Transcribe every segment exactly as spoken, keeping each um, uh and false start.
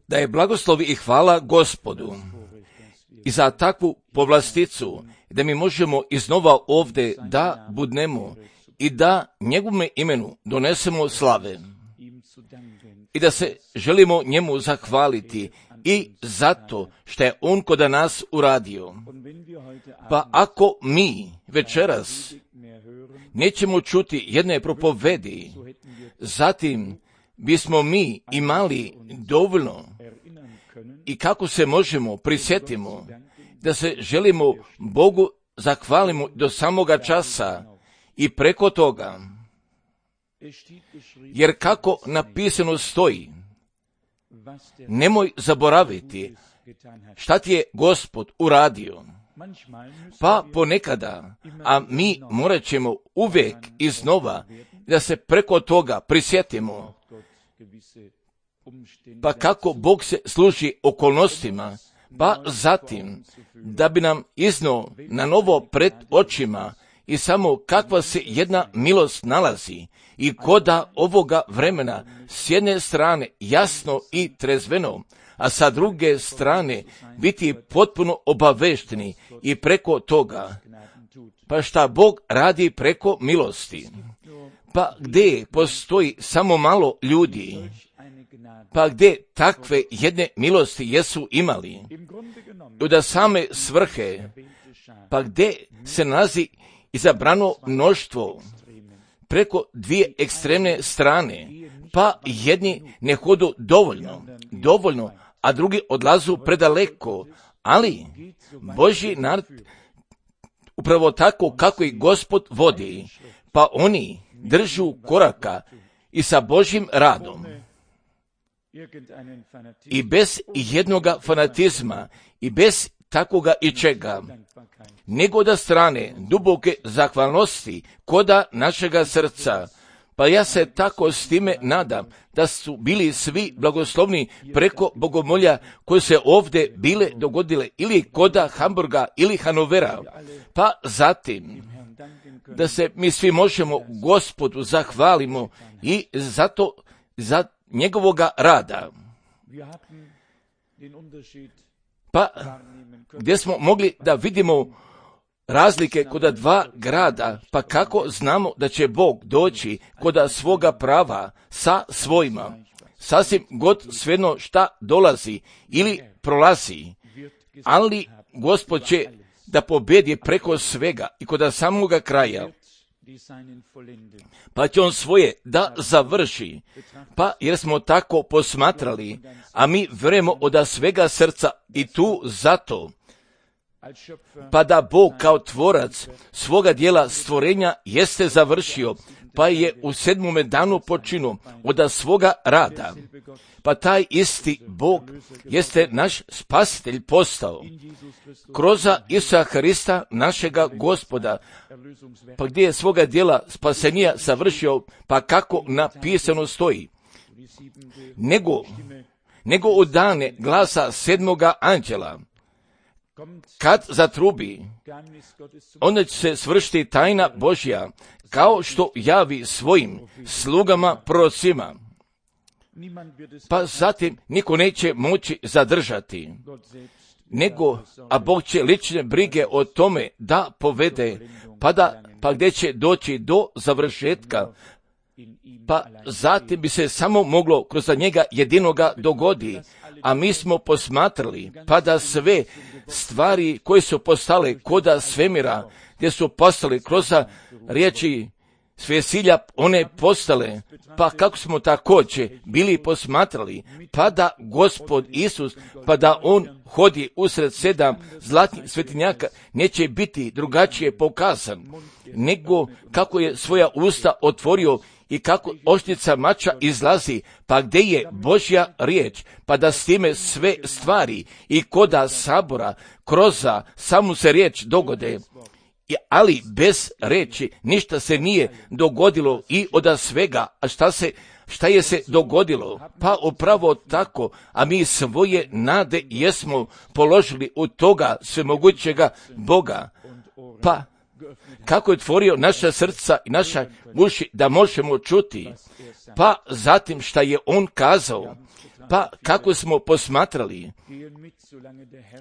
Da je blagoslov i hvala Gospodu i za takvu povlasticu, da mi možemo iznova ovdje da budnemo i da njegovome imenu donesemo slave i da se želimo njemu zahvaliti i zato što je on kod nas uradio. Pa ako mi večeras nećemo čuti jedne propovedi, zatim bismo mi imali dovoljno i kako se možemo prisjetimo da se želimo Bogu zahvalimo do samoga časa i preko toga. Jer kako napisano stoji, nemoj zaboraviti šta ti je Gospod uradio. Pa ponekada, a mi morat ćemo uvijek iznova da se preko toga prisjetimo. Pa kako Bog se služi okolnostima, pa zatim da bi nam iznao na novo pred očima i samo kakva se jedna milost nalazi i koda ovoga vremena s jedne strane jasno i trezveno, a sa druge strane biti potpuno obavešteni i preko toga. Pa šta Bog radi preko milosti? Pa gdje postoji samo malo ljudi, pa gdje takve jedne milosti jesu imali, da same svrhe, pa gdje se nalazi izabrano mnoštvo preko dvije ekstremne strane, pa jedni ne hodu dovoljno, dovoljno, a drugi odlazu predaleko, ali Božji narod upravo tako kako i Gospod vodi, pa oni držu koraka i sa Božjim radom. I bez jednoga fanatizma i bez takoga i čega, nego da strane duboke zahvalnosti koda našega srca. Pa ja se tako s time nadam da su bili svi blagoslovni preko bogomolja koje se ovdje bile dogodile ili koda Hamburga ili Hanovera. Pa zatim da se mi svi možemo Gospodu zahvalimo i zato za njegovoga rada. Pa gdje smo mogli da vidimo razlike kod dva grada, pa kako znamo da će Bog doći kod svoga prava sa svojima, sasvim god svejedno šta dolazi ili prolazi, ali Gospod će da pobjedi preko svega i kod samoga kraja, pa će on svoje da završi, pa jer smo tako posmatrali, a mi vjerujemo od svega srca i tu zato, pa da Bog kao tvorac svoga dijela stvorenja jeste završio, pa je u sedmome danu počinu od svoga rada. Pa taj isti Bog jeste naš spasitelj postao kroz Isusa Hrista našega Gospoda, pa gdje je svoga dijela spasenija završio, pa kako napisano stoji. Nego, nego u dane glasa sedmoga anđela, kad zatrubi, onda će se svršiti tajna Božja, kao što javi svojim slugama prorocima. Pa zatim niko neće moći zadržati, nego, a Bog će lične brige o tome da povede, pa, da, pa gdje će doći do završetka, pa zatim bi se samo moglo kroz njega jedinoga dogodi, a mi smo posmatrali, pa da sve stvari koje su postale koda svemira, gdje su postale kroz riječi svesilja, one postale, pa kako smo također bili posmatrali, pa da Gospod Isus, pa da on hodi usred sedam zlatnih svetinjaka, neće biti drugačije pokazan, nego kako je svoja usta otvorio i kako oštrica mača izlazi, pa gdje je Božja riječ, pa da s time sve stvari i koda sabora kroz samu se riječ dogode. Ali bez reči ništa se nije dogodilo i od svega, a šta se šta je se dogodilo? Pa upravo tako, a mi svoje nade jesmo položili u toga svemogućega Boga. Pa kako je otvorio naša srca i naša uši da možemo čuti, pa zatim šta je on kazao, pa kako smo posmatrali,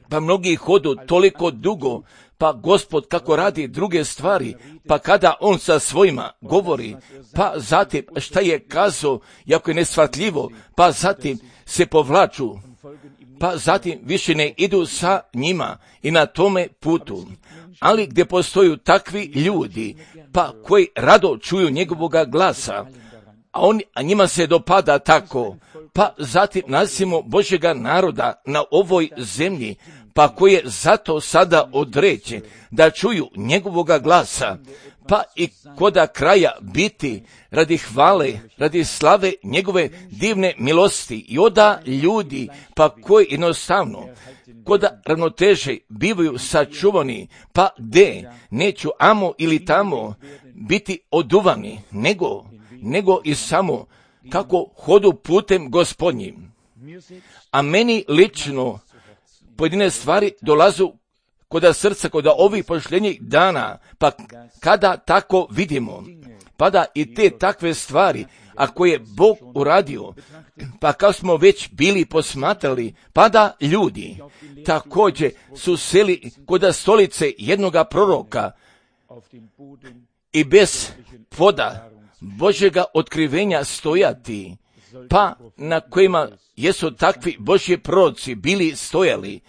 pa mnogi hodu toliko dugo, pa Gospod kako radi druge stvari, pa kada on sa svojima govori, pa zatim šta je kazao, jako je neshvatljivo, pa zatim se povlaču, pa zatim više ne idu sa njima i na tome putu. Ali gdje postoju takvi ljudi, pa koji rado čuju njegovoga glasa, a, on, a njima se dopada tako, pa zatim nasimo Božjega naroda na ovoj zemlji, pa koji je zato sada određen da čuju njegovoga glasa, pa i koda kraja biti radi hvale, radi slave njegove divne milosti i oda ljudi, pa koji jednostavno koda ravnoteže bivaju sačuvani, pa gde neću amo ili tamo biti oduvani, nego, nego i samo kako hodu putem Gospodnjim. A meni lično pojedine stvari dolazu koda srca, koda ovih pošljenjih dana, pa kada tako vidimo, pa da i te takve stvari, a koje je Bog uradio, pa kao smo već bili posmatrali, pa da ljudi također su seli koda stolice jednoga proroka i bez poda Božjega otkrivenja stojati, pa na kojima jesu takvi Božji proroci bili stojali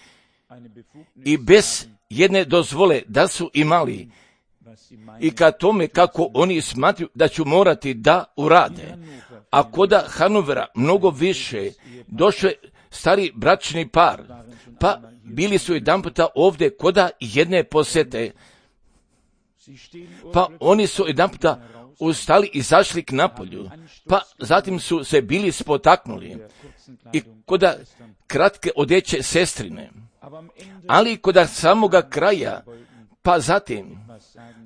i bez jedne dozvole da su imali i ka tome kako oni smatruju da ću morati da urade. A koda Hanovera mnogo više došle stari bračni par, pa bili su jedan puta ovdje koda jedne posete, pa oni su jedan puta ustali i zašli k napolju, pa zatim su se bili spotaknuli i koda kratke odjeće sestrine, ali koda samoga kraja, pa zatim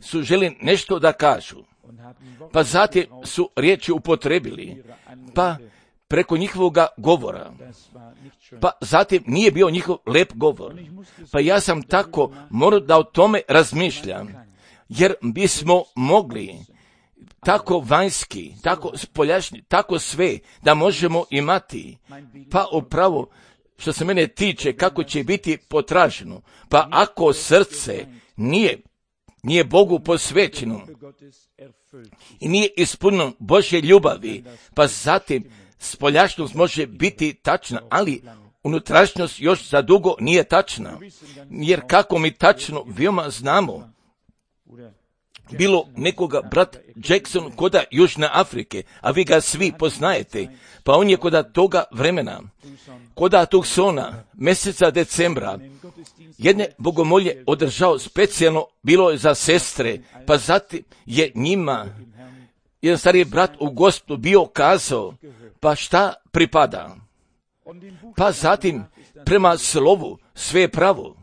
su želi nešto da kažu, pa zatim su riječi upotrebili, pa preko njihovoga govora, pa zatim nije bio njihov lep govor, pa ja sam tako morao da o tome razmišljam, jer bismo mogli tako vanjski, tako spoljašnji, tako sve da možemo imati, pa upravo što se mene tiče kako će biti potraženo, pa ako srce nije, nije Bogu posvećeno i nije ispunjeno Božje ljubavi, pa zatim spoljašnost može biti tačna, ali unutrašnjost još za dugo nije tačna, jer kako mi tačno veoma znamo, bilo nekoga brat Jackson koda Južne Afrike, a vi ga svi poznajete, pa on je koda toga vremena, koda Tucsona, mjeseca decembra, jedne bogomolje održao specijalno, bilo je za sestre, pa zatim je njima jedan stariji brat u Gospodu bio kazao, pa šta pripada, pa zatim prema slovu sve je pravo,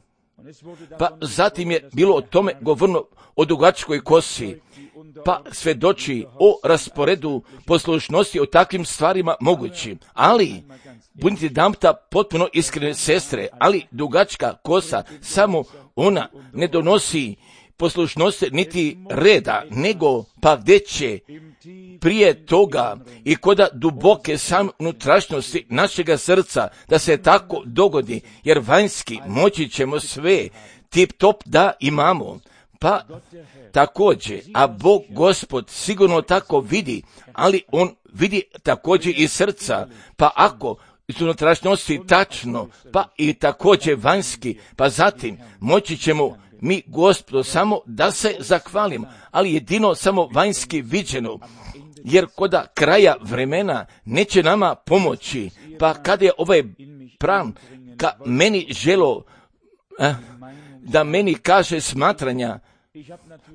pa zatim je bilo o tome govorno o dugačkoj kosi, pa svedoči o rasporedu poslušnosti, o takvim stvarima mogućim, ali budite damta potpuno iskrene sestre, ali dugačka kosa, samo ona ne donosi poslušnosti niti reda, nego pa gdje će prije toga i koda duboke sam unutrašnjosti našega srca da se tako dogodi, jer vanjski moći ćemo sve tip top da imamo, pa također, a Bog Gospod sigurno tako vidi, ali on vidi također i srca, pa ako iz unutrašnjosti tačno, pa i također vanjski, pa zatim moći ćemo mi Gospodu samo da se zahvalimo, ali jedino samo vanjski viđeno, jer koda kraja vremena neće nama pomoći, pa kada je ovaj pram ka meni želo eh, da meni kaže smatranja,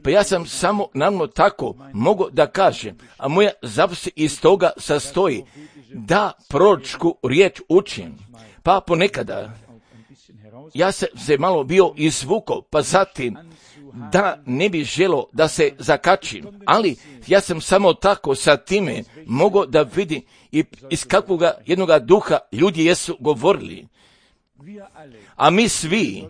pa ja sam samo naravno tako mogu da kažem, a moja zapovijed iz toga sastoji da proročku riječ učim, pa ponekada ja sam se malo bio izvukao, pa zatim da ne bi želo da se zakačim, ali ja sam samo tako sa time mogao da vidim i iz kakvoga jednoga duha ljudi jesu govorili. A mi svi,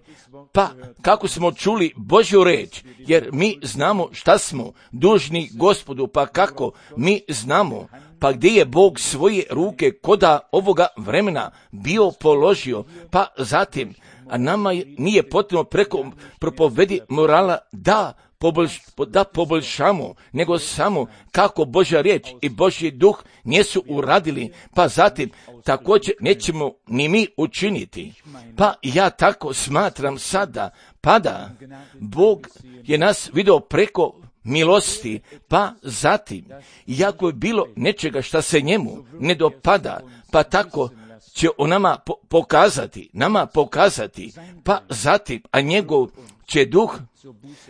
pa kako smo čuli Božju reč, jer mi znamo šta smo dužni Gospodu, pa kako mi znamo, pa gdje je Bog svoje ruke koda ovoga vremena bio položio, pa zatim, a nama nije potrebno preko propovedi morala da Poboljš, da poboljšamo, nego samo kako Božja riječ i Božji duh nisu uradili, pa zatim također nećemo ni mi učiniti. Pa ja tako smatram sada, pa da Bog je nas vidio preko milosti, pa zatim, iako je bilo nečega šta se njemu ne dopada, pa tako će on nama pokazati, nama pokazati, pa zatim, a njegov će duh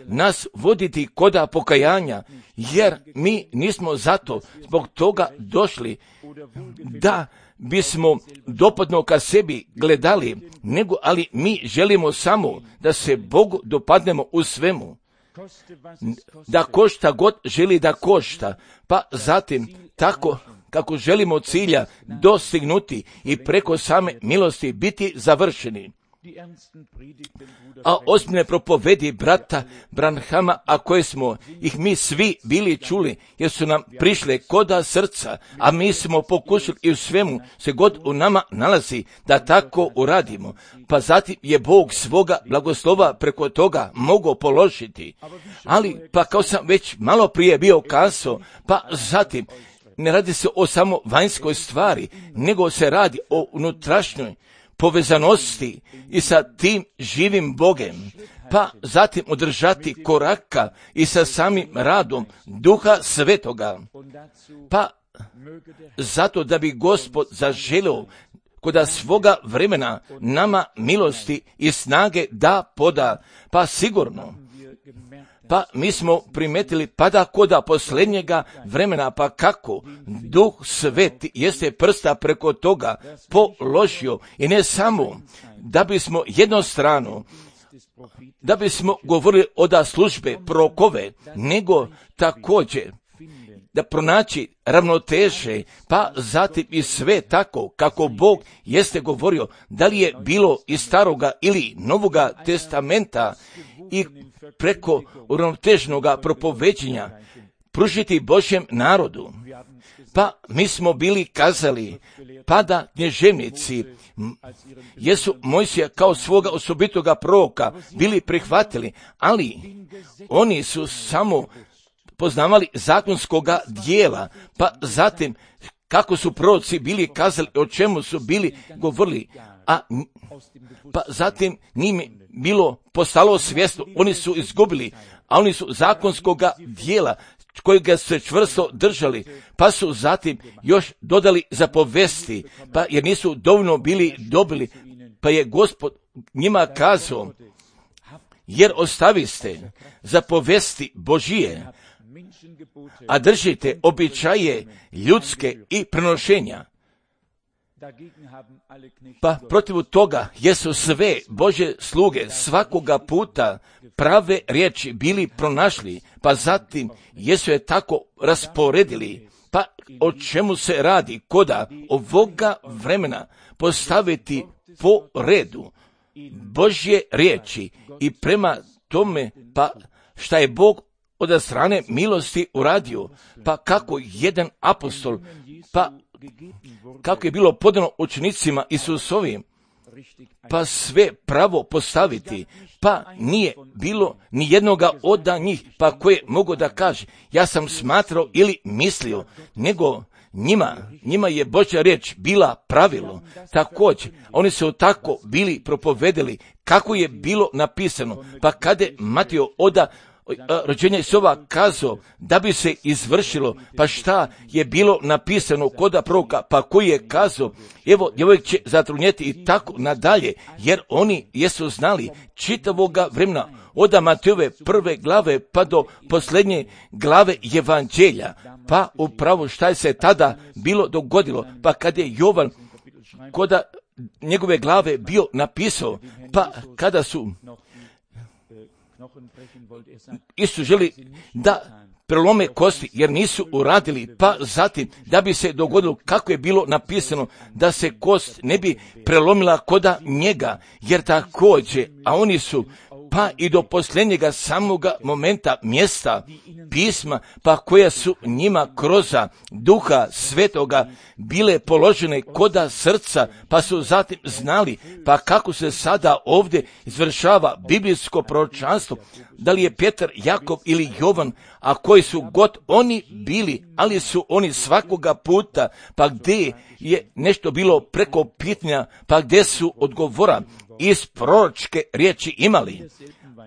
nas voditi koda pokajanja, jer mi nismo zato zbog toga došli da bismo dopadno ka sebi gledali, nego ali mi želimo samo da se Bogu dopadnemo u svemu, da košta god želi da košta, pa zatim tako kako želimo cilja dostignuti i preko same milosti biti završeni. A ozbiljne propovedi brata Branhama, a koje smo ih mi svi bili čuli, jer su nam prišle koda srca, a mi smo pokušali i u svemu se god u nama nalazi da tako uradimo. Pa zatim je Bog svoga blagoslova preko toga mogao položiti. Ali, pa kao sam već malo prije bio kazao, pa zatim ne radi se o samo vanjskoj stvari, nego se radi o unutrašnjoj povezanosti i sa tim živim Bogem, pa zatim održati koraka i sa samim radom Duha Svetoga, pa zato da bi Gospod zaželio koda svoga vremena nama milosti i snage da poda, pa sigurno, pa mi smo primetili pa da koda posljednjega vremena, pa kako Duh Sveti jeste prsta preko toga položio i ne samo da bismo jednostrano, da bismo govorili oda službe prokove, nego također da pronaći ravnoteže, pa zatim i sve tako kako Bog jeste govorio, da li je bilo iz staroga ili novoga testamenta i preko uravnotežnoga propoveđenja pružiti Božjem narodu. Pa mi smo bili kazali, pa da knježevnici jesu Mojsija kao svoga osobitoga proroka bili prihvatili, ali oni su samo poznavali zakonskoga dijela, pa zatim kako su proroci bili kazali, o čemu su bili govorili, a pa zatim njim bilo postalo svjesno, oni su izgubili, a oni su zakonskoga dijela kojega su se čvrsto držali, pa su zatim još dodali zapovesti, pa jer nisu dovoljno bili dobili, pa je Gospod njima kazao, jer ostaviste zapovesti Božije, a držite običaje ljudske i prenošenja. Pa protiv toga jesu sve Božje sluge svakoga puta prave riječi bili pronašli, pa zatim jesu je tako rasporedili. Pa o čemu se radi koda ovoga vremena postaviti po redu Božje riječi i prema tome pa šta je Bog od strane milosti uradio, pa kako jedan apostol, pa kako je bilo podano učenicima Isusovim, pa sve pravo postaviti, pa nije bilo ni jednoga od njih, pa koje mogu da kaže, ja sam smatrao ili mislio, nego njima, njima je Božja riječ bila pravilo. Također, oni su tako bili propovedeli kako je bilo napisano, pa kada je Mateo oda rođenja Isova kazao da bi se izvršilo, pa šta je bilo napisano koda proroka, pa koji je kazao, evo djevojk će zatrudnjeti i tako nadalje, jer oni jesu znali čitavoga vremena od Mateove prve glave pa do posljednje glave Evanđelja, pa upravo šta je se tada bilo dogodilo, pa kad je Jovan koda njegove glave bio napisao, pa kada su Isus želi da prelome kosti, jer nisu uradili, pa zatim da bi se dogodilo kako je bilo napisano, da se kost ne bi prelomila koda njega, jer također, a oni su pa i do posljednjega samoga momenta mjesta pisma, pa koja su njima kroz Duha Svetoga bile položene koda srca, pa su zatim znali, pa kako se sada ovdje izvršava biblijsko proročanstvo, da li je Petar, Jakov ili Jovan, a koji su god oni bili, ali su oni svakoga puta, pa gdje je nešto bilo preko pitanja, pa gdje su odgovora iz proročke riječi imali,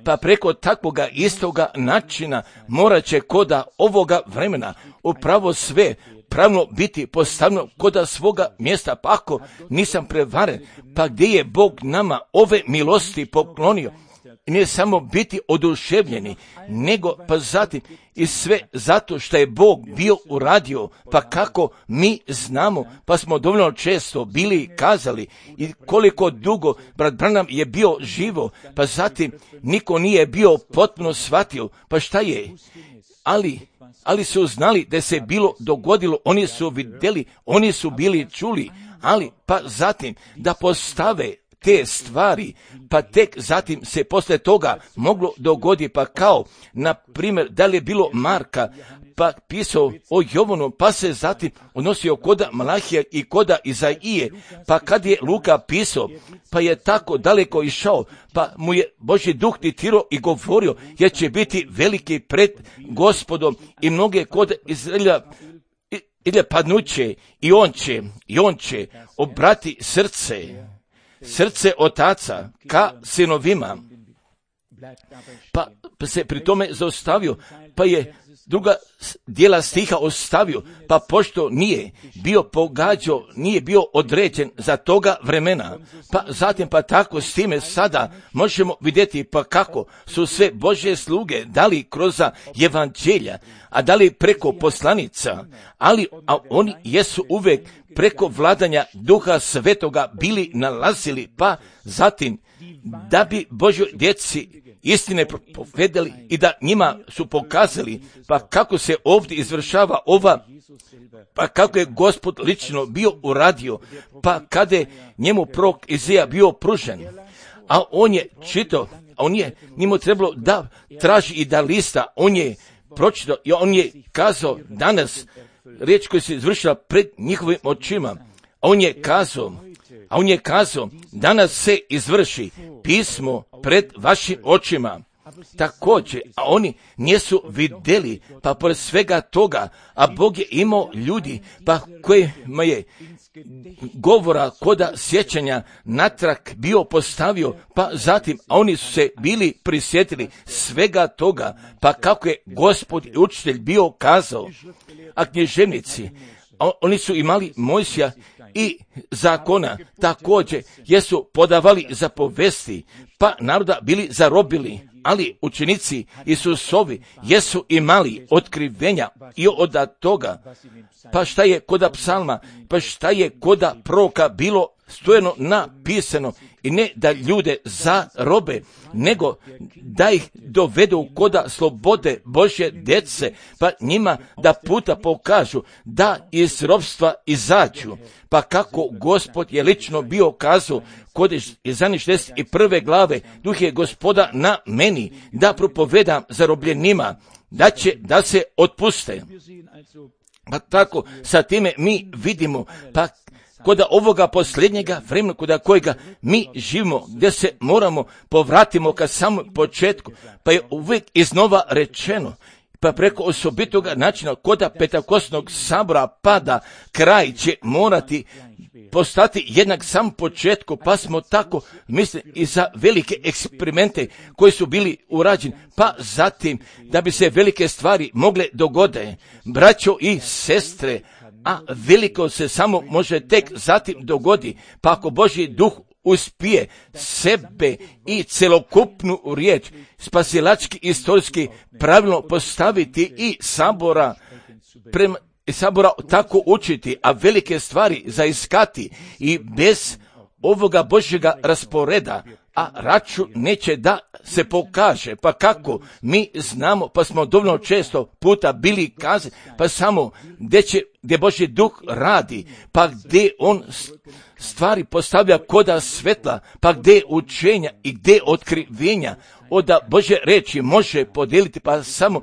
pa preko takvoga istoga načina morat će koda ovoga vremena upravo sve pravno biti postavljeno koda svoga mjesta, pa ako nisam prevaren, pa gdje je Bog nama ove milosti poklonio, ne samo biti oduševljeni, nego pa zatim i sve zato što je Bog bio uradio, pa kako mi znamo, pa smo dovoljno često bili kazali i koliko dugo brat Branham je bio živo, pa zatim niko nije bio potpuno shvatio, pa šta je, ali ali su znali da se bilo dogodilo, oni su vidjeli, oni su bili čuli, ali pa zatim da postave te stvari, pa tek zatim se posle toga moglo dogoditi, pa kao, na primjer, da li je bilo Marka, pa pisao o Jovanu, pa se zatim odnosio koda Malahija i koda Izaije, pa kad je Luka pisao, pa je tako daleko išao, pa mu je Božji duh diktirao i govorio, jer će biti veliki pred Gospodom i mnoge kode Izraelja ili padnuće i on će, i on će obrati srce, srce otaca ka sinovima, pa se pri tome zaustavio, pa je druga dijela stiha ostavio, pa pošto nije bio pogađao, nije bio određen za toga vremena, pa zatim pa tako s time sada možemo vidjeti pa kako su sve Božje sluge dali kroz evanđelja, a dali preko poslanica, ali a oni jesu uvek preko vladanja Duha Svetoga bili nalazili, pa zatim da bi Božjoj djeci istine propovedali i da njima su pokazali pa kako se ovdje izvršava ova, pa kako je Gospod lično bio uradio, pa kada je njemu prorok Izija bio pružen, a on je čitao, a on je njemu trebalo da traži i da lista, on je pročitao i on je kazao danas riječ koja se izvršila pred njihovim očima, a on je kazao, a on je kazao, danas se izvrši pismo pred vašim očima. Također, a oni nisu vidjeli, pa pored svega toga, a Bog je imao ljudi, pa kojima je govora koda sjećanja natrag bio postavio, pa zatim, a oni su se bili prisjetili svega toga, pa kako je Gospod i učitelj bio kazao, a književnici, a oni su imali Mojsija i zakona, također jesu podavali zapovesti, pa naroda bili zarobili, ali učenici Isusovi jesu imali otkrivenja i od toga, pa šta je koda psalma, pa šta je koda proroka bilo stojeno napisano, i ne da ljude zarobe, nego da ih dovedu koda slobode Božje djece, pa njima da puta pokažu da iz ropstva izađu, pa kako Gospod je lično bio kazao kod Izaije šezdeset prve glave, duh je Gospoda na meni da propovedam zarobljenima, da će da se otpuste. Pa tako sa time mi vidimo, pa koda ovoga posljednjega vremena koda kojega mi živimo, gdje se moramo povratimo ka samom početku, pa je uvijek iznova rečeno, pa preko osobitoga načina koda Pentekostnog sabora pada, kraj će morati postati jednak sam početku, pa smo tako mislili i za velike eksperimente koji su bili urađeni, pa zatim da bi se velike stvari mogle dogode, braćo i sestre, a veliko se samo može tek zatim dogodi, pa ako Božji duh uspije sebe i celokupnu riječ spasilački istorijski pravilno postaviti i sabora prema i sabora tako učiti, a velike stvari zaiskati i bez ovoga Božjega rasporeda, a račun neće da se pokaže. Pa kako? Mi znamo, pa smo dovoljno često puta bili kazani, pa samo gdje će, gdje Božji duh radi, pa gdje on stvari postavlja koda svetla, pa gdje učenja i gdje otkrivenja oda Božje reči može podijeliti, pa samo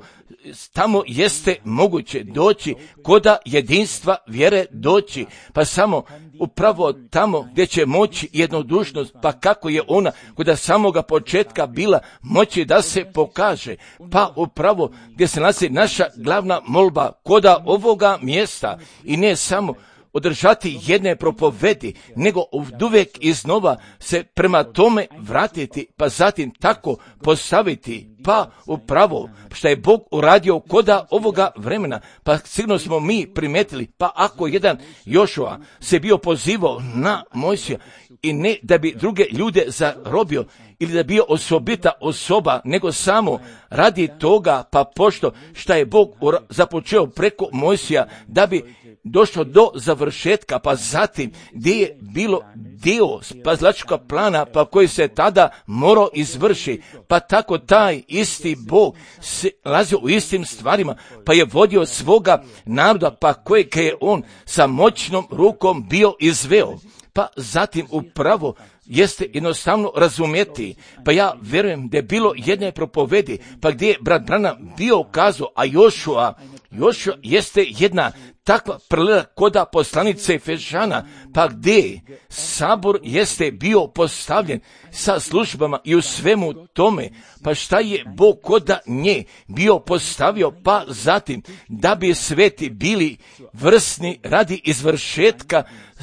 tamo jeste moguće doći koda jedinstva vjere doći, pa samo upravo tamo gdje će moći jednodušnost, pa kako je ona koda samoga početka bila moći da se pokaže, pa upravo gdje se nalazi naša glavna molba koda ovoga mjesta i ne samo održati jedne propovedi, nego uvijek iznova se prema tome vratiti, pa zatim tako postaviti, pa upravo što je Bog uradio koda ovoga vremena, pa sigurno smo mi primetili, pa ako jedan Jošua se bio pozivao na Mojsija i ne da bi druge ljude zarobio ili da bi bio osobita osoba, nego samo radi toga, pa pošto što je Bog započeo preko Mojsija da bi došlo do završetka, pa zatim gdje je bilo dio spasilačkog plana, pa koji se tada morao izvrši, pa tako taj isti Bog se lazio u istim stvarima, pa je vodio svoga naroda, pa kojeg je on sa moćnom rukom bio izveo. Pa zatim upravo jeste jednostavno razumjeti, pa ja vjerujem da je bilo jedne propovedi, pa gdje je brat Branham bio kazao, a Jošua, Jošua jeste jedna takva paralela koda poslanice Efežana, pa gdje sabor jeste bio postavljen sa službama i u svemu tome, pa šta je Bog koda nje bio postavio, pa zatim da bi sveti bili vrsni radi izvršetka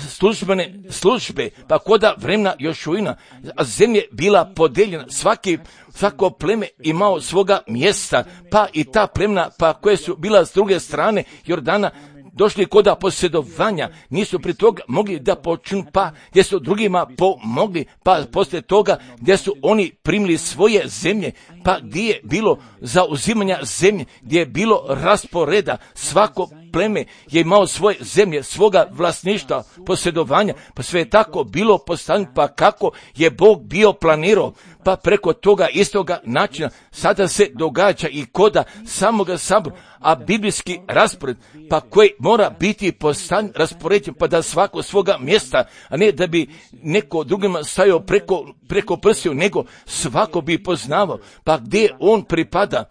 službene službe, pa koda vremena Jošuina, a zemlje bila podeljena, svaki svako pleme imao svoga mjesta, pa i ta plemena, pa koje su bila s druge strane Jordana, došli koda posjedovanja, nisu pri toga mogli da počnu, pa gdje su drugima pomogli, pa poslije toga gdje su oni primili svoje zemlje, pa gdje je bilo zauzimanja zemlje, gdje je bilo rasporeda, svako pleme je imao svoje zemlje, svoga vlasništva, posjedovanja, pa sve je tako bilo postavljeno, pa kako je Bog bio planirao, pa preko toga istoga načina sada se događa i koda samoga sabora, a biblijski raspored, pa koji mora biti postavljen, raspoređen, pa da svako svoga mjesta, a ne da bi neko drugima stajao preko, preko prstiju, nego svako bi poznavao, pa gdje on pripada.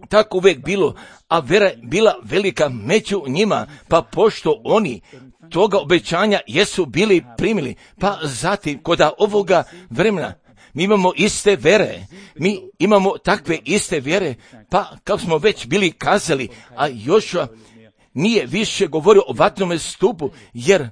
Tako uvijek bilo, a vera je bila velika među njima, pa pošto oni toga obećanja jesu bili primili, pa zatim koda ovoga vremena mi imamo iste vere, mi imamo takve iste vjere, pa kao smo već bili kazali, a Jošua nije više govorio o vatrenome stupu, jer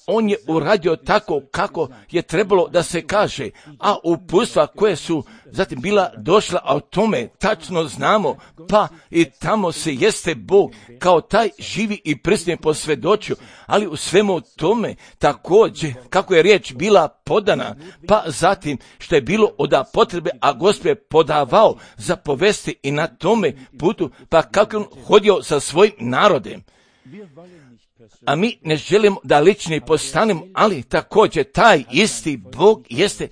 on je uradio tako kako je trebalo da se kaže, a uputstva koje su zatim bila došla, a o tome tačno znamo, pa i tamo se jeste Bog kao taj živi i prisutni posvjedočio, ali u svemu tome također kako je riječ bila podana, pa zatim što je bilo od potrebe, a Gospod je podavao za povesti i na tome putu, pa kako on hodio sa svojim narodem. A mi ne želimo da lični postanemo, ali također taj isti Bog jeste,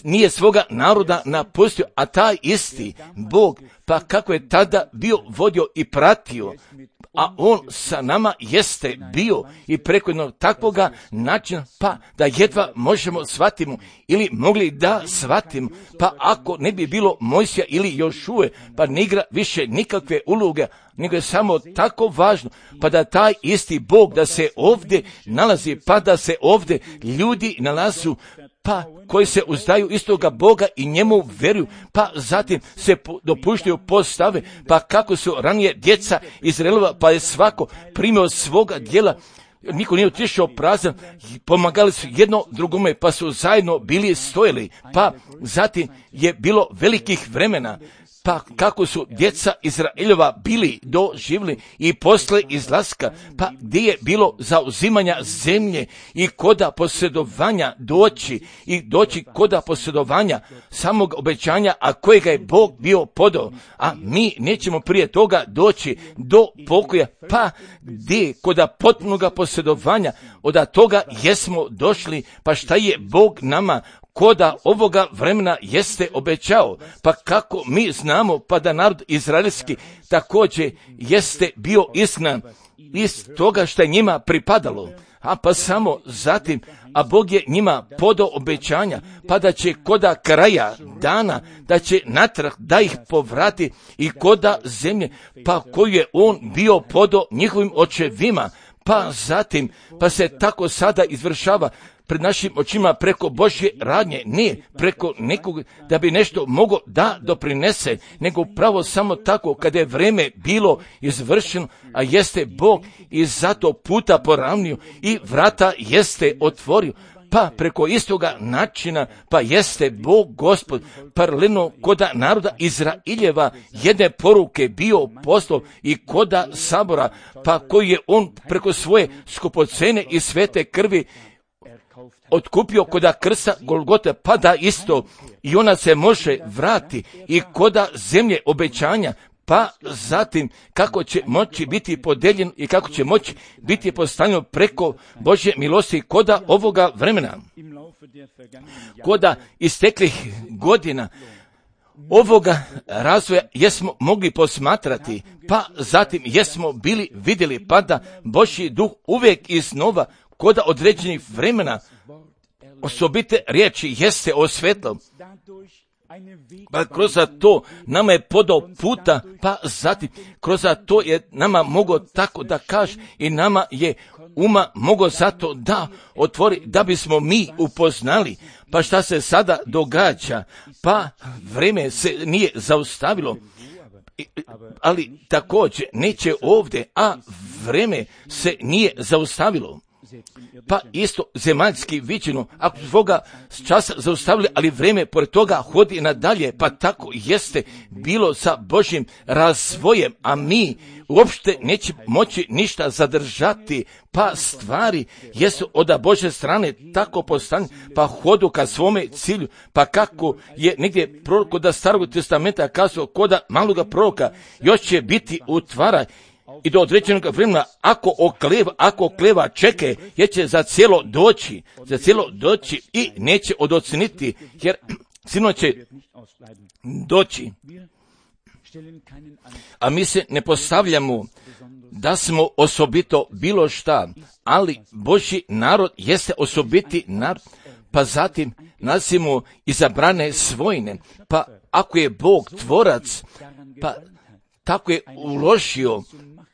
nije svoga naroda napustio, a taj isti Bog, pa kako je tada bio vodio i pratio, a on sa nama jeste bio i preko jednog takvoga načina, pa da jedva možemo shvatimo ili mogli da shvatimo, pa ako ne bi bilo Mojsija ili Jošue, pa ne igra više nikakve uloge, nego je samo tako važno, pa da taj isti Bog da se ovdje nalazi, pa da se ovdje ljudi nalazu, pa koji se uzdaju istoga Boga i njemu veruju, pa zatim se dopuštaju postave, pa kako su ranije djeca Izraelova, pa je svako primio svoga djela, niko nije otišao prazan, pomagali su jedno drugome, pa su zajedno bili stojili, pa zatim je bilo velikih vremena, pa kako su djeca Izraeljova bili doživjeli i posle izlaska, pa gdje je bilo zauzimanja zemlje i koda posjedovanja doći i doći koda posjedovanja samog obećanja, a kojega je Bog bio podao, a mi nećemo prije toga doći do pokoja, pa gdje koda potpunoga posjedovanja, od toga jesmo došli, pa šta je Bog nama koda ovoga vremena jeste obećao. Pa kako mi znamo, pa da narod izraelski također jeste bio izgnan iz toga što je njima pripadalo. A pa samo zatim, a Bog je njima podao obećanja, pa da će koda kraja dana, da će natrag da ih povrati i koda zemlje, pa koju je on bio podao njihovim očevima, pa zatim, pa se tako sada izvršava pred našim očima preko Božje radnje, ne preko nekog da bi nešto mogo da doprinese, nego pravo samo tako kada je vreme bilo izvršeno, a jeste Bog i zato puta poravnio i vrata jeste otvorio. Pa preko istoga načina, pa jeste Bog Gospod paralelno koda naroda Izraeljeva jedne poruke bio poslao i koda sabora, pa koji je on preko svoje skupocene i svete krvi otkupio koda krsta Golgote, pa da isto i ona se može vrati i koda zemlje obećanja, pa zatim kako će moći biti podeljeno i kako će moći biti postavljeno preko Božje milosti koda ovoga vremena. Koda isteklih godina ovoga razvoja jesmo mogli posmatrati, pa zatim jesmo bili vidjeli, pa da Božji duh uvijek iznova koda određenih vremena osobite riječi jeste osvetlo. Pa kroz to nama je podao puta, pa zatim kroz to je nama mogo tako da kaže i nama je uma mogo zato da otvori, da bismo mi upoznali. Pa šta se sada događa? Pa vreme se nije zaustavilo, ali također neće ovdje, a vreme se nije zaustavilo. Pa isto zemaljski viđeno, ako svoga časa zaustavili, ali vreme pored toga hodi nadalje, pa tako jeste bilo sa Božjim razvojem, a mi uopšte neće moći ništa zadržati, pa stvari jesu od Božje strane tako postavljene, pa hodu ka svome cilju, pa kako je negdje prorok od Starog testamenta kazao koda maloga proroka, još će biti utvara i do određenog vremena, ako okleva, ako okleva čeke, jer će za cijelo doći, za cijelo doći i neće odoceniti, jer sino će doći. A mi se ne postavljamo da smo osobito bilo šta, ali Božji narod jeste osobiti narod, pa zatim nasimo izabrane svojine, pa ako je Bog tvorac, pa tako je uložio,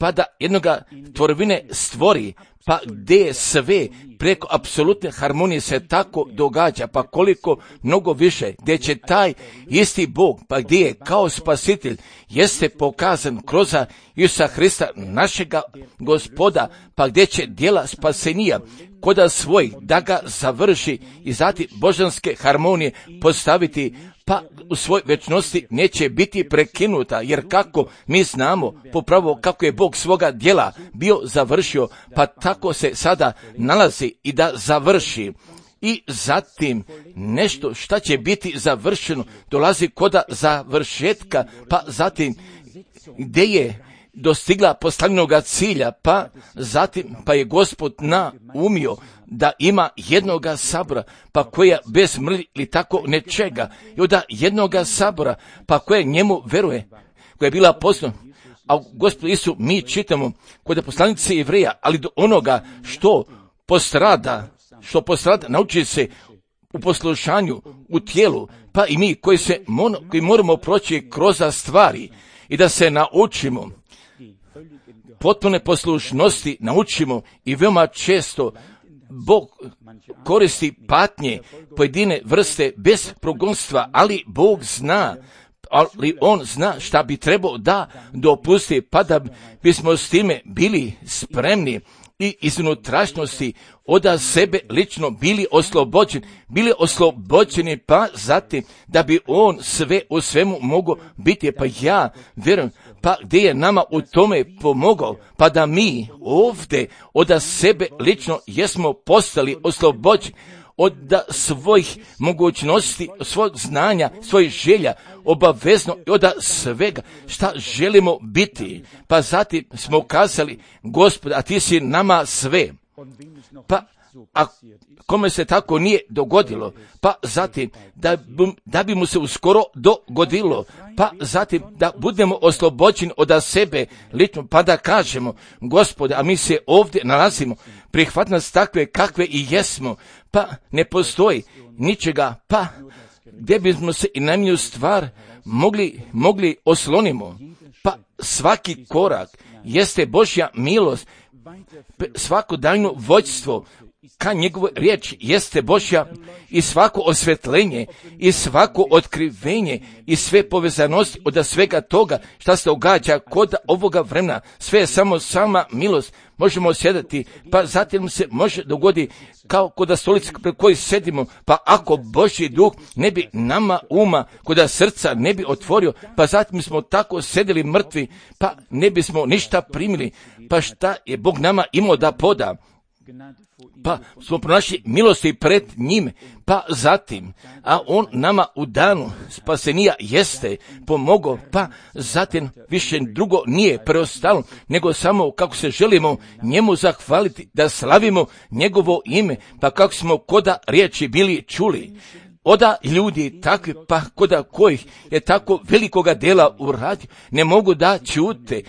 pa da jednoga tvorevine stvori, pa gdje je sve preko apsolutne harmonije se tako događa, pa koliko mnogo više, gdje će taj isti Bog, pa gdje je kao spasitelj, jeste pokazan kroz Isusa Hrista, našega Gospoda, pa gdje će djela spasenija koda svoj da ga završi i zatim božanske harmonije postaviti, pa u svoj večnosti neće biti prekinuta, jer kako mi znamo popravo kako je Bog svoga djela bio završio, pa tako se sada nalazi i da završi. I zatim nešto šta će biti završeno dolazi koda završetka, pa zatim gdje je dostigla postavljenoga cilja, pa zatim pa je Gospod naumio da ima jednoga sabora, pa koja bez mrlji ili tako nečega, i onda jednoga sabora, pa koja njemu veruje, koja je bila poslana. A Gospod Isu mi čitamo kod poslanice Jevreja, ali do onoga što postrada, što postrada, nauči se u poslušanju, u tijelu, pa i mi koji se mono, koji moramo proći kroz stvari i da se naučimo potpune poslušnosti, naučimo i veoma često Bog koristi patnje pojedine vrste bez progonstva, ali Bog zna, ali On zna šta bi trebao da dopusti, pa da bismo s time bili spremni i iz unutrašnjosti od sebe lično bili oslobođeni, bili oslobođeni, pa zatim da bi On sve u svemu mogao biti, pa ja vjerujem, pa gdje je nama u tome pomogao, pa da mi ovdje od sebe lično jesmo postali oslobođeni od svojih mogućnosti, svojeg znanja, svojih želja, obavezno i od svega šta želimo biti. Pa zatim smo kazali, Gospod, a ti si nama sve. Pa a kome se tako nije dogodilo, pa zatim da bi, da bi mu se uskoro dogodilo, pa zatim da budemo oslobođeni od sebe lično, pa da kažemo, Gospode, a mi se ovdje nalazimo, prihvat nas takve kakve i jesmo, pa ne postoji ničega, pa gdje bismo se i najmanju stvar mogli, mogli oslonimo, pa svaki korak jeste Božja milost, svakodnevno vođstvo ka njegovoj riječi jeste Božja i svako osvjetljenje i svako otkrivenje i sve povezanosti od svega toga što se događa kod ovoga vremena, sve je samo sama milost. Možemo sjedati, pa zatim se može dogoditi kao kod stolice pred kojoj sedimo, pa ako Božji duh ne bi nama uma, kod srca ne bi otvorio, pa zatim smo tako sedeli mrtvi, pa ne bismo ništa primili, pa šta je Bog nama imao da poda? Pa smo pronašli milosti pred njim, pa zatim, a on nama u danu spasenija jeste pomogao, pa zatim više drugo nije preostalo, nego samo kako se želimo njemu zahvaliti, da slavimo njegovo ime, pa kako smo koda riječi bili čuli. Oda ljudi takvi, pa koda kojih je tako velikoga dela uradio, ne mogu da ćute.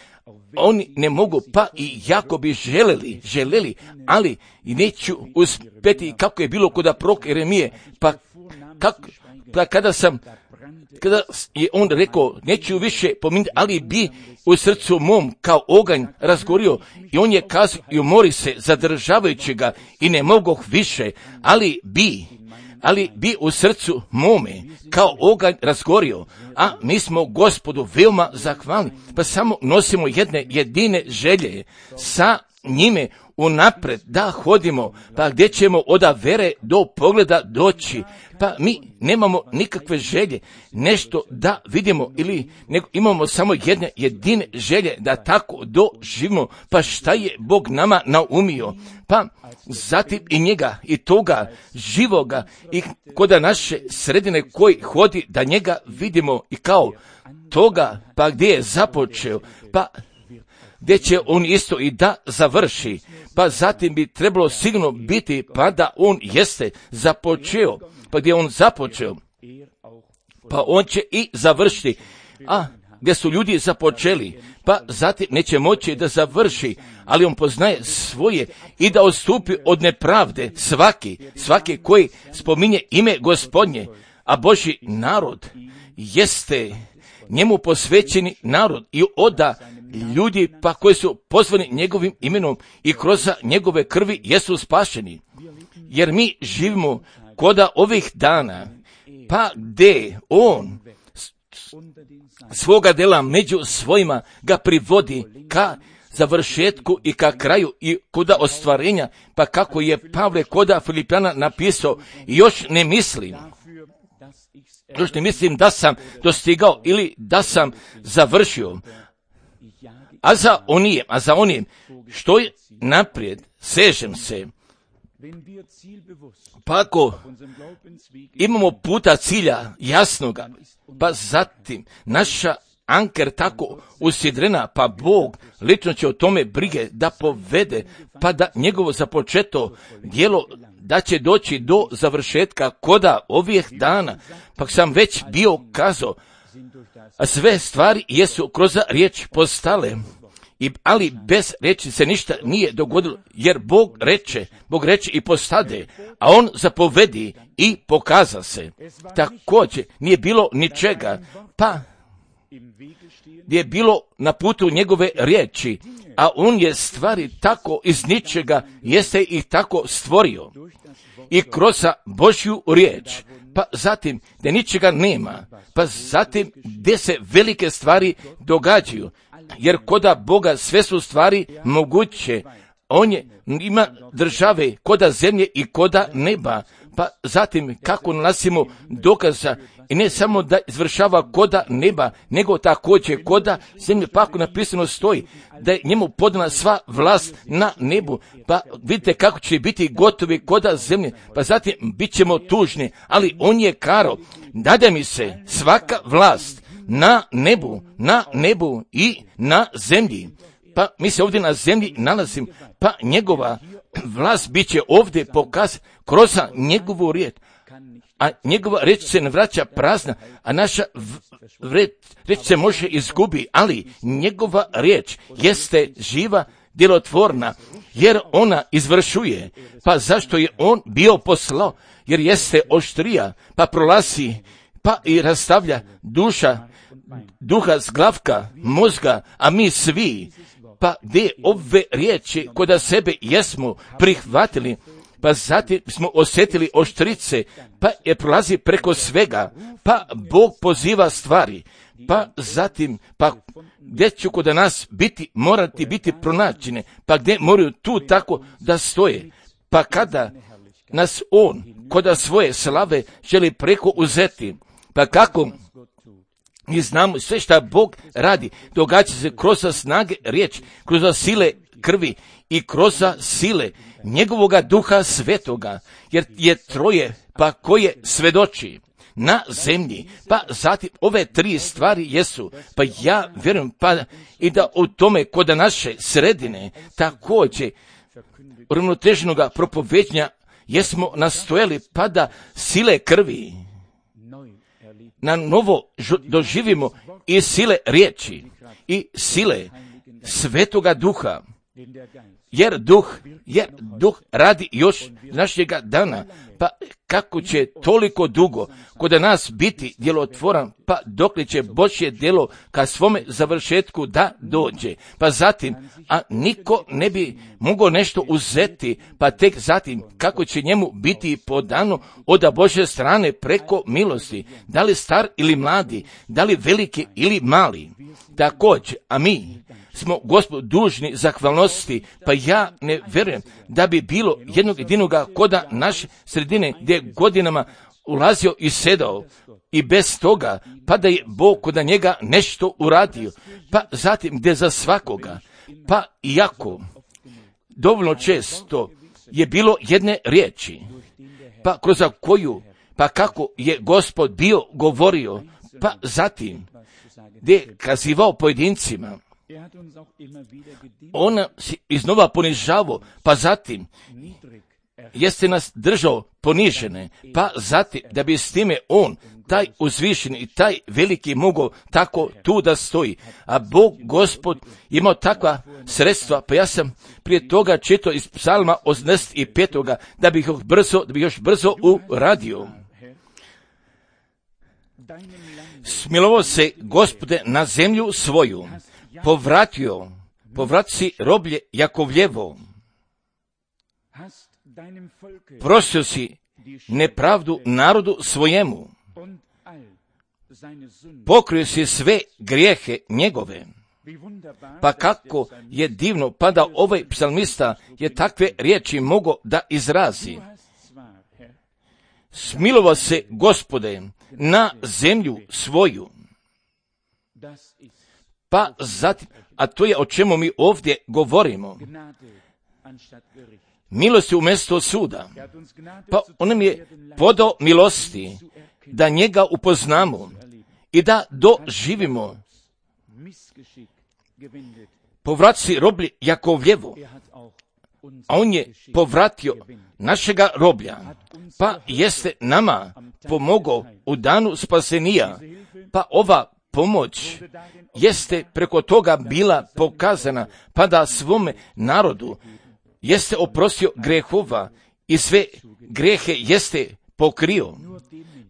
Oni ne mogu, pa i jako bi želeli, želeli, ali i neću uspjeti kako je bilo kod proroka Jeremije, pa, kako, pa kada sam, kada je on rekao, neću više pominuti, ali bi u srcu mom kao oganj razgorio, i on je kazao i umori se zadržavajući ga i ne mogu više, ali bi, ali bi u srcu mome kao oganj razgorio, a mi smo Gospodu veoma zahvalni, pa samo nosimo jedne jedine želje sa njime unapred da hodimo, pa gdje ćemo od vere do pogleda doći, pa mi nemamo nikakve želje, nešto da vidimo, ili nego imamo samo jedne jedine želje da tako doživimo, pa šta je Bog nama naumio, pa zatim i njega i toga živoga i kod naše sredine koji hodi da njega vidimo i kao toga, pa gdje je započeo, pa gdje će on isto i da završi, pa zatim bi trebalo sigurno biti, pa da on jeste započeo, pa gdje on započeo, pa on će i završiti, a gdje su ljudi započeli, pa zatim neće moći da završi, ali on poznaje svoje i da odstupi od nepravde svaki, svaki koji spominje ime Gospodnje, a Božji narod jeste njemu posvećeni narod i oda ljudi pa koji su pozvani njegovim imenom i kroz njegove krvi jesu spašeni. Jer mi živimo koda ovih dana, pa gdje on svoga dela među svojima ga privodi ka završetku i ka kraju i koda ostvarenja, pa kako je Pavle koda Filipjana napisao, još ne mislim, još ne mislim da sam dostigao ili da sam završio, a za onijem, a za onijem što je naprijed sežem se. Pa ako imamo puta cilja jasnoga, pa zatim naša anker tako usidrena, pa Bog lično će o tome brige da povede, pa da njegovo započeto djelo da će doći do završetka koda ovih dana, pa sam već bio kazao, a sve stvari jesu kroz riječ postale, I, ali bez riječi se ništa nije dogodilo, jer Bog reče, Bog reče i postade, a on zapovedi i pokaza se. Također nije bilo ničega, pa je bilo na putu njegove riječi, a on je stvari tako iz ničega jeste ih tako stvorio. I kroz Božju riječ, pa zatim gdje ničega nema, pa zatim gdje se velike stvari događaju, jer koda Boga sve su stvari moguće, on je, ima države koda zemlje i koda neba, pa zatim kako nalazimo dokaza i ne samo da izvršava koda neba, nego također koda zemlje, pa ako napisano stoji da je njemu podana sva vlast na nebu, pa vidite kako će biti gotovi koda zemlje, pa zatim bit ćemo tužni, ali on je karo, dade mi se svaka vlast na nebu, na nebu i na zemlji. pa mi se ovdje na zemlji nalazimo, pa njegova vlast bit će ovdje pokaz kroz njegovu riječ, a njegova riječ se ne vraća prazna, a naša v- riječ se može izgubi, ali njegova riječ jeste živa, djelotvorna, jer ona izvršuje. Pa zašto je on bio poslao? Jer jeste oštrija, pa prolazi, pa i rastavlja duša, duha zglavka, mozga, a mi svi, pa gdje ove riječi kod sebe jesmo prihvatili, pa zatim smo osjetili oštrice, pa je prolazi preko svega, pa Bog poziva stvari, pa zatim, pa gdje će kod nas biti, morati biti pronađene, pa gdje moraju tu tako da stoje, pa kada nas on kod svoje slave želi preko uzeti, pa kako mi znamo sve šta Bog radi, događa se kroz snage riječ, kroz sile krvi i kroz sile njegovoga duha svetoga, jer je troje pa koje svedoči na zemlji, pa zatim ove tri stvari jesu, pa ja vjerujem pa i da u tome kod naše sredine također uravnoteženoga propoveđenja jesmo nastojali pa da sile krvi na novo doživimo i sile riječi i sile svetoga duha, jer duh, jer duh radi još našega dana, pa kako će toliko dugo kod nas biti djelotvoran, pa dokle će Božje djelo ka svome završetku da dođe, pa zatim, a niko ne bi mogao nešto uzeti, pa tek zatim kako će njemu biti podano od Božje strane preko milosti, da li star ili mladi, da li veliki ili mali, također, a mi smo Gospod dužni zahvalnosti, pa ja ne vjerujem da bi bilo jednog jedinoga koda naše sredine gdje godinama ulazio i sedao i bez toga, pa da je Bog kod njega nešto uradio, pa zatim gdje za svakoga, pa iako dovoljno često je bilo jedne riječi, pa kroz koju, pa kako je Gospod bio govorio, pa zatim gdje je kazivao pojedincima, on se iznova ponižavao, pa zatim jeste nas držao ponižene, pa zatim da bi s time on, taj uzvišeni i taj veliki mogao tako tu da stoji. A Bog, Gospod, imao takva sredstva, pa ja sam prije toga čitao iz psalma osamdeset petoga da bih još brzo, da bih još brzo uradio. Smilovao se, Gospode, na zemlju svoju, povratio, povratio si roblje Jakovljevo, prostio si nepravdu narodu svojemu, pokrio si sve grijehe njegove. Pa kako je divno, pa da ovaj psalmista je takve riječi mogao da izrazi. Smilovao se, Gospode, na zemlju svoju. Pa zatim, a to je o čemu mi ovdje govorimo. Milosti umjesto suda. Pa on nam je podao milosti da njega upoznamo i da doživimo. Povratci roblje Jakovljevo, a on je povratio našega roblja, pa jeste nama pomogao u danu spasenija, pa ova pomoć jeste preko toga bila pokazana, pa da svome narodu jeste oprostio grehova i sve grehe jeste pokrio,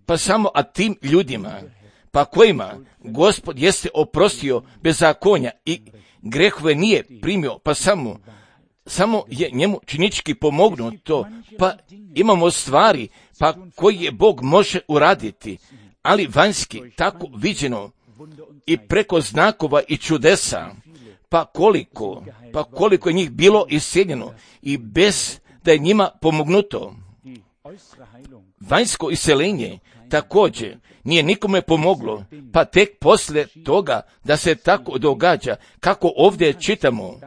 pa samo a tim ljudima, pa kojima Gospod jeste oprostio bezakonja i grehove nije primio, pa samo, samo je njemu činički pomognuto, pa imamo stvari, pa koji je Bog može uraditi, ali vanjski tako viđeno i preko znakova i čudesa, pa koliko, pa koliko je njih bilo isceljeno i bez da je njima pomognuto. Vanjsko iseljenje također nije nikome pomoglo, pa tek poslije toga da se tako događa, kako ovdje čitamo.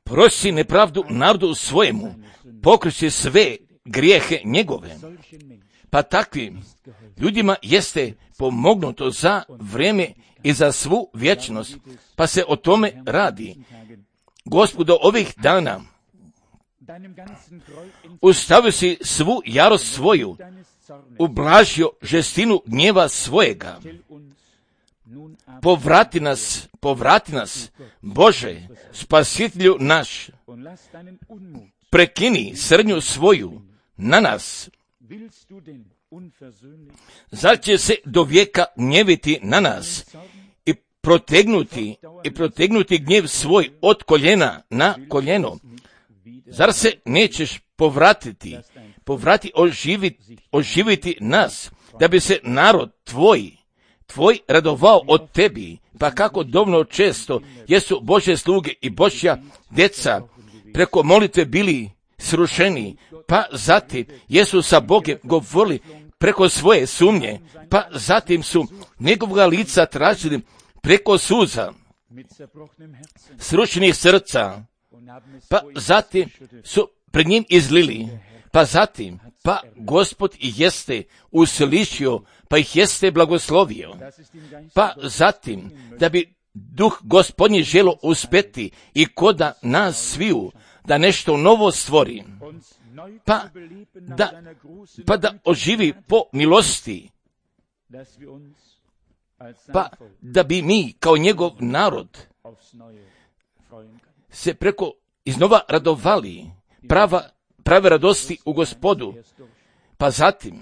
Prosi nepravdu narodu svojemu, pokriši sve grijehe njegove. Pa takvim ljudima jeste pomognuto za vrijeme i za svu vječnost, pa se o tome radi. Gospodo, ovih dana ustavio si svu jarost svoju, ublažio žestinu gnjeva svojega. Povrati nas, povrati nas, Bože, spasitelju naš, prekini srnju svoju na nas. Zar će se do vijeka gnjeviti na nas i protegnuti, i protegnuti gnjev svoj od koljena na koljeno? Zar se nećeš povratiti, povrati oživiti, oživiti nas, da bi se narod tvoj, tvoj radovao od tebi? Pa kako dovoljno često jesu Božje sluge i Božja djeca preko molitve bili srušeni, pa zatim jesu sa Bogom govorili preko svoje sumnje, pa zatim su njegovoga lica tražili preko suza, srušenih srca, pa zatim su pred njim izlili, pa zatim, pa Gospod jeste uslišio, pa ih jeste blagoslovio, pa zatim, da bi duh Gospodnji želo uspeti i koda nas sviju, da nešto novo stvori, pa da, pa da oživi po milosti, pa da bi mi kao njegov narod se preko iznova radovali, prava, prave radosti u Gospodu. Pa zatim,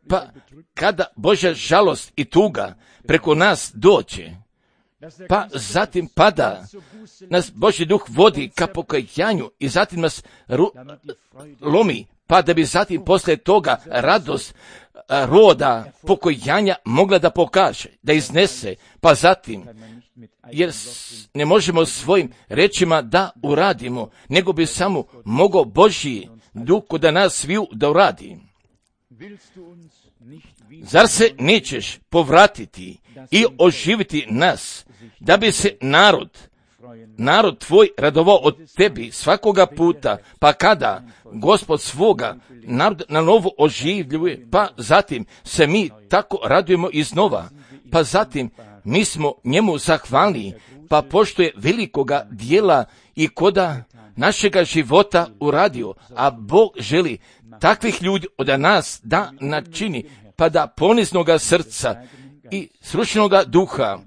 pa kada Božja žalost i tuga preko nas dođe, pa zatim pada, nas Božji duh vodi ka pokajanju i zatim nas ru, lomi, pa da bi zatim posle toga radost roda pokojanja mogla da pokaže, da iznese, pa zatim, jer ne možemo svojim rečima da uradimo, nego bi samo mogao Božji duh da nas sviju da uradi. Zar se nećeš povratiti i oživiti nas, da bi se narod, narod tvoj radovao od tebi svakoga puta, pa kada Gospod svoga narod na novo oživljuje, pa zatim se mi tako radujemo iznova, pa zatim mi smo njemu zahvalni, pa pošto je velikoga dijela i koda našega života uradio, a Bog želi takvih ljudi od nas da načini, pa da poniznoga srca i srušenoga duha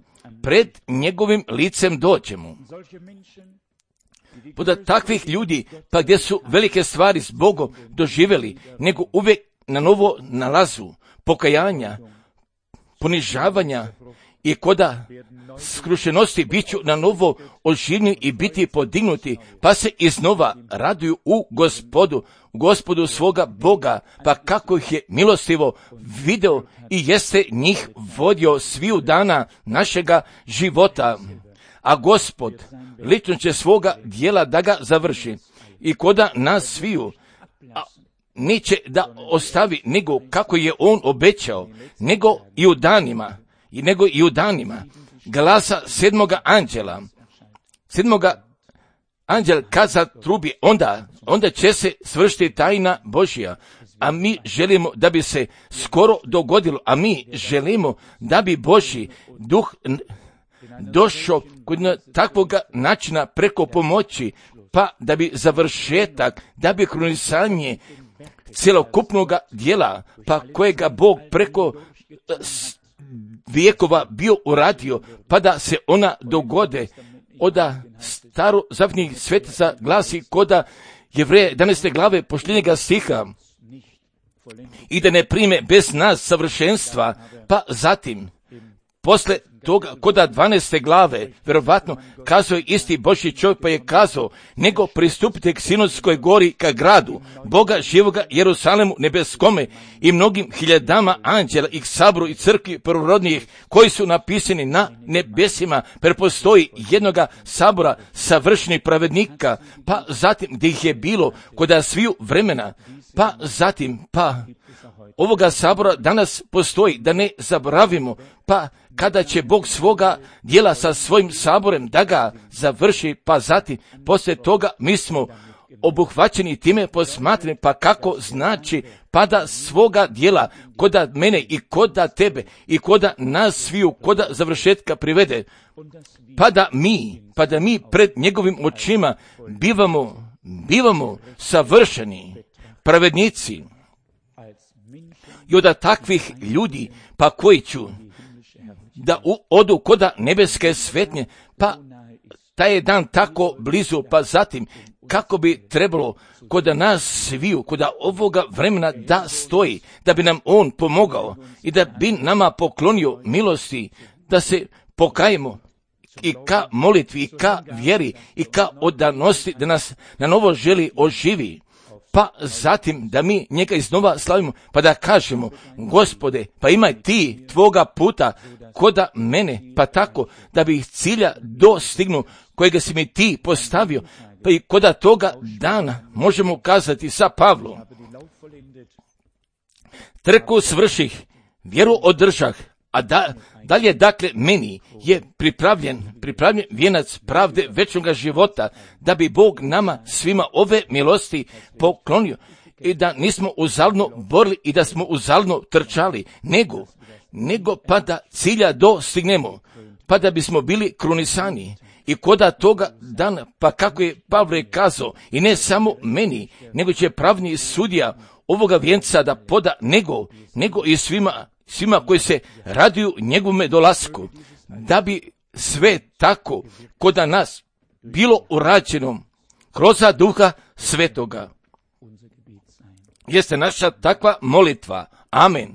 pred njegovim licem dođemo. Poda takvih ljudi, pa gdje su velike stvari s Bogom doživjeli, nego uvijek na novo nalazu pokajanja, ponižavanja i koda skrušenosti bit ću na novo oživljeni i biti podignuti, pa se iznova raduju u Gospodu, Gospodu svoga Boga, pa kako ih je milostivo video i jeste njih vodio sviju dana našega života. A Gospod lično će svoga dijela da ga završi i koda nas sviju a, neće da ostavi nego kako je on obećao, nego i u danima, i nego i u danima glasa sedmoga anđela, sedmoga anđel kad zatrubi, onda, onda će se svršiti tajna Božja, a mi želimo da bi se skoro dogodilo, a mi želimo da bi Božji duh došao kod takvog načina preko pomoći, pa da bi završetak, da bi krunisanje cjelokupnog dijela, pa kojega Bog preko vijekova bio uradio, pa da se ona dogode. Oda staro zavetnih svetica glasi koda Jevreje jedanaeste glave posljednjega stiha, i da ne prime bez nas savršenstva, pa zatim posle toga koda dvanaeste glave vjerovatno kazao je isti Božji čovjek, pa je kazao, nego pristupite k Sinodskoj gori, ka gradu Boga živoga Jerusalemu nebeskome i mnogim hiljadama anđela i k saboru i crkvi prvorodnijih koji su napisani na nebesima, jer postoji jednoga sabora savršenih pravednika, pa zatim gdje ih je bilo koda sviju vremena, pa zatim pa ovoga sabora danas postoji, da ne zaboravimo, pa kada će Bog svoga dijela sa svojim saborem da ga završi, pa zatim poslije toga mi smo obuhvaćeni time, posmatrani, pa kako znači, pa da svoga dijela, koda mene i koda tebe i koda nas sviju, koda završetka privede, pa da mi, pa da mi pred njegovim očima bivamo, bivamo savršeni, pravednici. I od takvih ljudi, pa koji ću da u, odu koda nebeske svetnje, pa taj je dan tako blizu, pa zatim kako bi trebalo koda nas sviju, koda ovoga vremena da stoji, da bi nam on pomogao i da bi nama poklonio milosti, da se pokajemo i ka molitvi, i ka vjeri, i ka odanosti, da nas na novo želi oživi. Pa zatim da mi njega iznova slavimo, pa da kažemo, Gospode, pa imaj ti tvoga puta koda mene, pa tako da bi cilja dostignu kojega si mi ti postavio, pa i koda toga dana možemo kazati sa Pavlom. Trku svrših, vjeru održah, a da, dalje dakle meni je pripravljen, pripravljen vijenac pravde večnoga života, da bi Bog nama svima ove milosti poklonio i da nismo uzaludno borili i da smo uzaludno trčali, nego, nego pa da cilja dostignemo, pa da bismo bili krunisani. I koda toga dana, pa kako je Pavle kazao, i ne samo meni, nego će pravni sudija ovoga vijenca da poda, nego, nego i svima, svima koji se raduju njegovome dolasku, da bi sve tako koda nas bilo urađeno kroz Duha Svetoga. Jeste naša takva molitva. Amen.